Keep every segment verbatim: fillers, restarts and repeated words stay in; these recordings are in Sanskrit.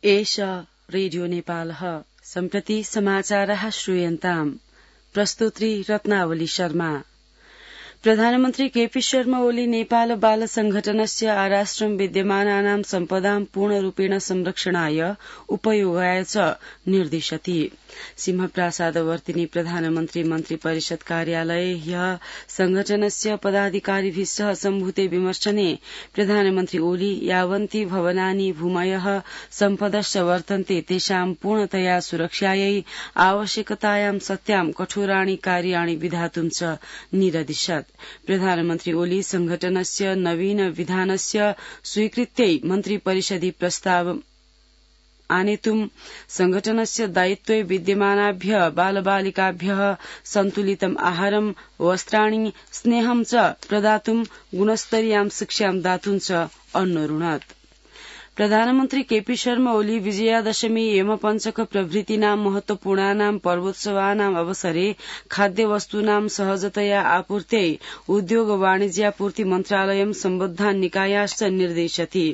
एष रेडियो नेपालः सम्प्रति समाचारः श्रूयन्ताम्। प्रस्तुत्री रत्नावली शर्मा। प्रधानमन्त्री केपी शर्मा ओली नेपाल बाल संघटनस्य आराष्ट्रं विद्यमानानां सम्पदां पूर्णरूपेण संरक्षणाय उपयोगाय च निर्दिशति। सिंहप्रासादवर्तिनी प्रधानमन्त्री मन्त्री परिषद कार्यालये ह्यः संघटनस्य पदाधिकारिभिः सह सम्भूते विमर्शने प्रधानमन्त्री ओली यावन्ति भवनानि भूमयः सम्पदश्च वर्तन्ते तेषां पूर्णतया सुरक्षायै आवश्यकतायां सत्यां कठोराणि कार्याणि विधातुं च निरदिशत्। प्रधानमन्त्री ओली संघटनस्य नवीन विधानस्य स्वीकृत्यै मन्त्री परिषदि प्रस्ताव आनेतुं संघटनस्य दायित्वे विद्यमानाभ्य बालबालिकाभ्य सन्तुलितम् आहारं वस्त्राणि स्नेहं च प्रदातुं गुणस्तरीयां शिक्षां दातुं च अन्वरुणत्। प्रधानमन्त्री केपी शर्मा ओली विजयादशमी यमपञ्चक प्रभृतीनां महत्वपूर्णानां पर्वोत्सवानाम् अवसरे खाद्यवस्तूनां सहजतया आपूर्त्यै उद्योग वाणिज्यापूर्ति मन्त्रालयं सम्बद्धान् निकायाश्च निर्देशति।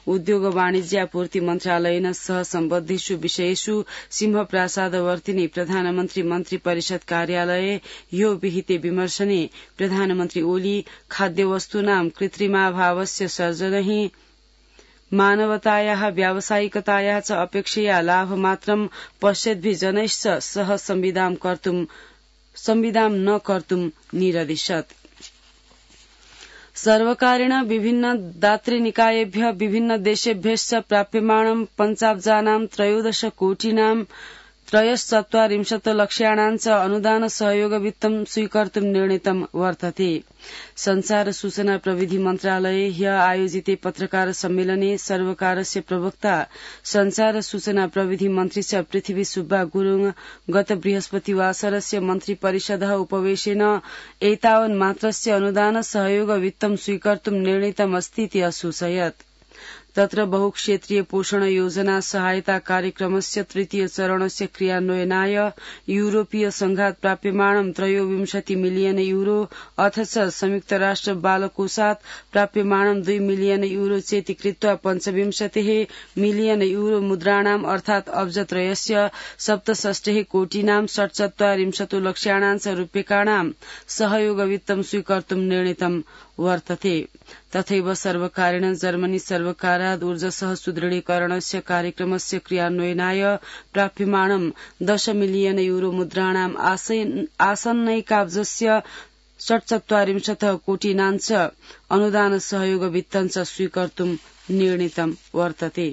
उद्योग वाणिज्यापूर्ति मन्त्रालयेन सह सम्बद्धेषु विषयेषु सिंहप्रासादवर्तिनी प्रधानमन्त्री मन्त्री परिषद कार्यालये ह्यो विहिते विमर्शने प्रधानमन्त्री ओली खाद्यवस्तूनां कृत्रिमाभावस्य सर्जनैः मानवतायाः व्यावसायिकतायाः च अपेक्षया लाभमात्रं पश्यद्भिः जनैश्च सह संविदां कर्तुं संविदां न कर्तुं निरदिशत्। सर्वकारेण विभिन्न दातृनिकायेभ्यः विभिन्न देशेभ्यश्च प्राप्यमाणं पञ्चाब्जानां त्रयोदश कोटिनां त्रयश्चत्वारिंशत् लक्ष्याणां च अनुदान सहयोग वित्तं स्वीकर्तुं निर्णीतं वर्तते। संचार सूचना प्रविधि मन्त्रालये ह्यः आयोजिते पत्रकार सम्मेलने सर्वकारस्य प्रवक्ता संचार सूचना प्रविधि मन्त्री च पृथ्वी सुब्बा गुरुङ गत बृहस्पतिवासरस्य मन्त्री परिषदः उपवेशेन एतावन् मात्रस्य अनुदान सहयोग वित्तं स्वीकर्तुं निर्णीतमस्तीति असूचयत्। तत्र बहुक्षेत्रीय पोषण योजना सहायता कार्यक्रमस्य तृतीय चरणस्य क्रियान्वयनाय यूरोपीय संघात् प्राप्यमाणं त्रयोविंशति मिलियन यूरो अथ च संयुक्त राष्ट्र बालकोषात् प्राप्यमाणं द्वि मिलियन यूरो चेति कृत्वा पञ्चविंशतिः मिलियन यूरो मुद्राणाम् अर्थात् अब्जत्रयस्य सप्तषष्टिः कोटिनां षट्चत्वारिंशत् लक्ष्याणां च रूप्यकाणां सहयोगवित्तं स्वीकर्तुं निर्णीतं वर्तते। तथैव सर्वकारेण जर्मनी सर्वकारात् ऊर्जसः सुदृढीकरणस्य कार्यक्रमस्य क्रियान्वयनाय प्राप्यमाणं दश मिलियन यूरो मुद्राणाम् आसन्नैकाब्जस्य षट्चत्वारिंशत् कोटिनां च अनुदान सहयोग वित्तं च स्वीकर्तुं निर्णीतं वर्तते।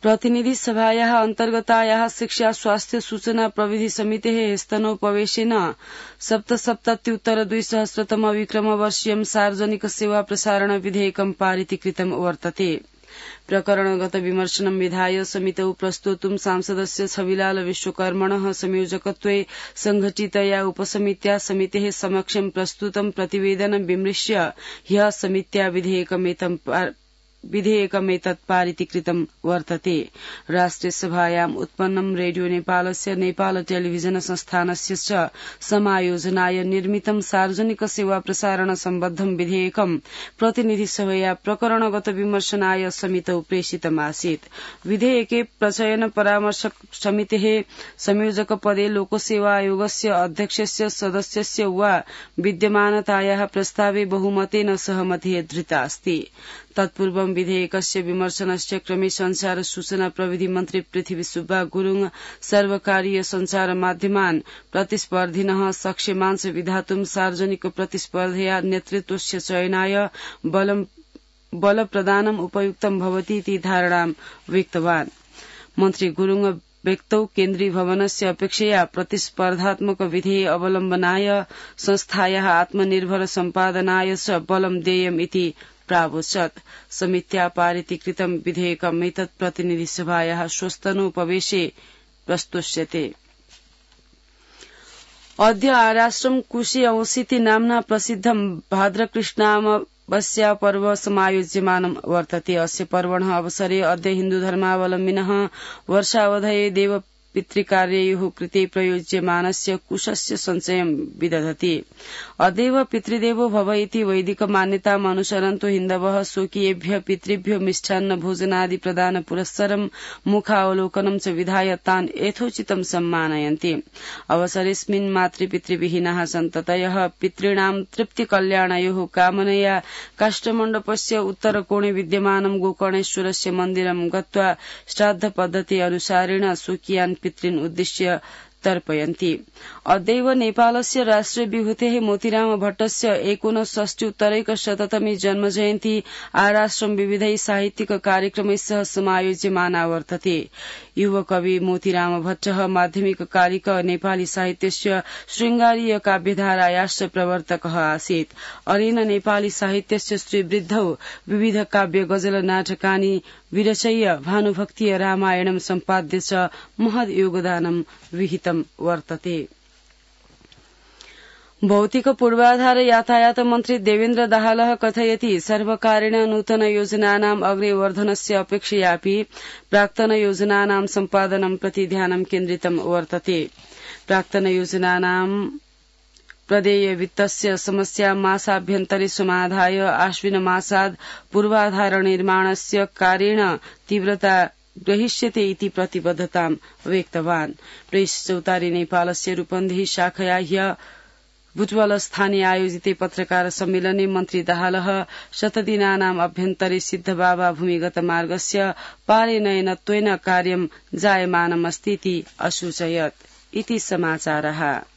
प्रतिनिधि सभायाः अन्तर्गतायाः शिक्षा स्वास्थ्य सूचना प्रविधि समितेः स्तनोपवेशेन सप्तसप्तत्युत्तर द्विसहस्रतम विक्रमवर्षीयं सार्वजनिक सेवा प्रसारण विधेयकं पारितीकृतं वर्तते। प्रकरणगत विमर्शनं विधाय समितौ प्रस्तोतुं सांसदस्य छविलाल विश्वकर्मणः संयोजकत्वे संघटितया उपसमित्या समितेः समक्षं प्रस्तुतं प्रतिवेदनं विमृश्य ह्यः समित्या विधेयकमेतं विधेयकमेतत् पारितीकृतं वर्तते। राष्ट्रियसभायाम् उत्पन्नं रेडियो नेपालस्य नेपाल टेलिभिजन संस्थानस्य च समायोजनाय निर्मितं सार्वजनिक सेवा प्रसारण सम्बद्धं विधेयकं प्रतिनिधिसभया प्रकरणगत विमर्शनाय समितौ प्रेषितमासीत्। विधेयके प्रचयन परामर्शक समितेः संयोजकपदे लोकसेवा आयोगस्य अध्यक्षस्य सदस्यस्य वा विद्यमानतायाः प्रस्तावे बहुमतेन सहमतिः धृतास्ति। तत्पूर्वं विधेयकस्य विमर्शनस्य क्रमे संचार सूचना प्रविधि मन्त्री पृथ्वी सुब्बा गुरुङ सर्वकारीय संचार माध्यमान् प्रतिस्पर्धिनः सक्षमांश विधातुं सार्वजनिक प्रतिस्पर्धया नेतृत्वस्य चयनाय बल प्रदानम् उपयुक्तं भवति इति धारणां व्यक्तवान्। मन्त्री गुरुङ व्यक्तौ केन्द्रीय भवनस्य अपेक्षया प्रतिस्पर्धात्मक विधेय अवलम्बनाय संस्थायाः आत्मनिर्भर सम्पादनाय च बलं देयम् इति प्रावोचत्। समित्या पारितीकृतं विधेयकमेतत् प्रतिनिधिसभायाः श्वस्तनोपवेशे प्रस्तोष्यते। अद्य आराष्ट्रं कुशे अंसिति नाम्ना प्रसिद्धं भाद्रकृष्णामावस्या पर्व समायोज्यमानं वर्तते। अस्य पर्वणः अवसरे अद्य हिन्दुधर्मावलम्बिनः वर्षावधये देव पितृकार्ययोः कृते प्रयोज्यमानस्य कुशस्य सञ्चयं विदधति। अदेव पितृदेवो भव इति वैदिक मान्यताम् अनुसरन्तो हिन्दवः स्वकीयेभ्यः पितृभ्यो मिष्टान्न भोजनादि प्रदान पुरस्सरं मुखावलोकनं च विधाय तान् यथोचितं सम्मानयन्ति। अवसरेऽस्मिन् मातृपितृविहीनाः सन्ततयः पितॄणां तृप्तिकल्याणयोः कामनया काष्ठमण्डपस्य उत्तरकोणे विद्यमानं गोकर्णेश्वरस्य मन्दिरं गत्वा श्राद्धपद्धति अनुसारेण स्वकीयान् पितॄन् उद्दिश्य तर्पयन्ति। अद्यैव नेपालस्य राष्ट्रविभूतेः मोतीराम भट्टस्य एकोनषष्ट्युत्तरैकशततमी जन्मजयन्ती आराश्रम विविधैः साहित्यिक कार्यक्रमैः सह समायोज्यमाना वर्तते। युवकवि मोतीराम भट्टः माध्यमिककालिक नेपाली साहित्यस्य शृङ्गारीय काव्यधारायाश्च प्रवर्तकः आसीत्। अनेन नेपाली साहित्यस्य श्रीवृद्धौ विविध काव्य गजल नाटकानि विरचय्य भानुभक्तीय रामायणं सम्पाद्य च महद् योगदानं विहितं वर्तते। भौतिक पूर्वाधार यातायात मन्त्री देवेन्द्र दाहालः कथयति सर्वकारेण नूतन योजनानाम् अग्रे वर्धनस्य अपेक्षयापि प्राक्तन योजनानां सम्पादनं प्रति ध्यानं केन्द्रितं वर्तते। प्राक्तन योजनानां प्रदेय वित्तस्य समस्या मासाभ्यन्तरे समाधाय आश्विन मासाद् पूर्वाधार निर्माणस्य कार्येण तीव्रता ग्रहीष्यते इति प्रतिबद्धतां व्यक्तवान्। प्रेस चौतारी नेपालस्य रूपन्देही शाखया ह्य बुटवल स्थाने आयोजिते पत्रकार सम्मेलने मन्त्री दाहालः शतदिनानाम् अभ्यन्तरे सिद्धबाबा भूमिगत मार्गस्य पारिनयनत्वेन कार्यं जायमानमस्तीति असूचयत्। इति समाचारः।